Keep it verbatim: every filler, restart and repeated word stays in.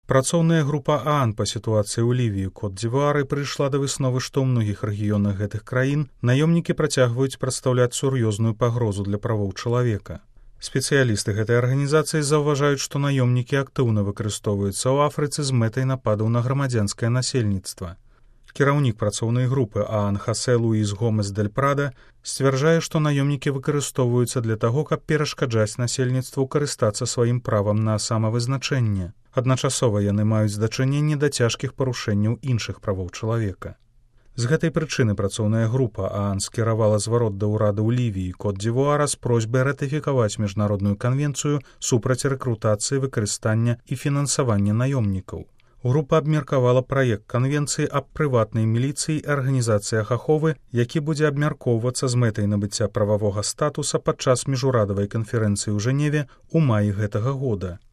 Працоўная група ААН па сітуацыі ў Лівіі Кот-д'Івуары прыйшла да высновы, што ў многіх рэгіёнах гэтых краін наёмнікі працягваюць прадстаўляць сур'ёзную пагрозу для правоў чалавека. Спецыялісты гэтай арганізацыі заўважаюць, што наёмнікі актыўна выкарыстоўваюцца ў Афрыцы з мэтай нападаў на грамадзянскае насельніцтва. Кіраўнік працоўнай групы ААН Хасе Луіс Гомес дель Прада сцвярджае, што наёмнікі выкарыстоўваюцца для таго, каб перашкаджаць насельніцтву карыстацца сваім правам на самавызначэнне. Адначасова яны маюць дачыненне да цяжкіх парушэнняў іншых правоў чалавека. З гэтай прычыны працоўная група ААН скіравала зварот да ўрада ў Лівіі Кот-д'Івуара з просьбай ратыфікаваць міжнародную канвенцыю супраць рэкрутацыі, выкарыстання і фінансавання наёмнікаў. Група абмеркавала праект канвенцыі аб прыватнай міліцыі і арганізацыях аховы, які будзе абмяркоўвацца з мэтай набыцця прававога статуса падчас міжурадавай канферэнцыі ў Жэневе ў маі гэтага года.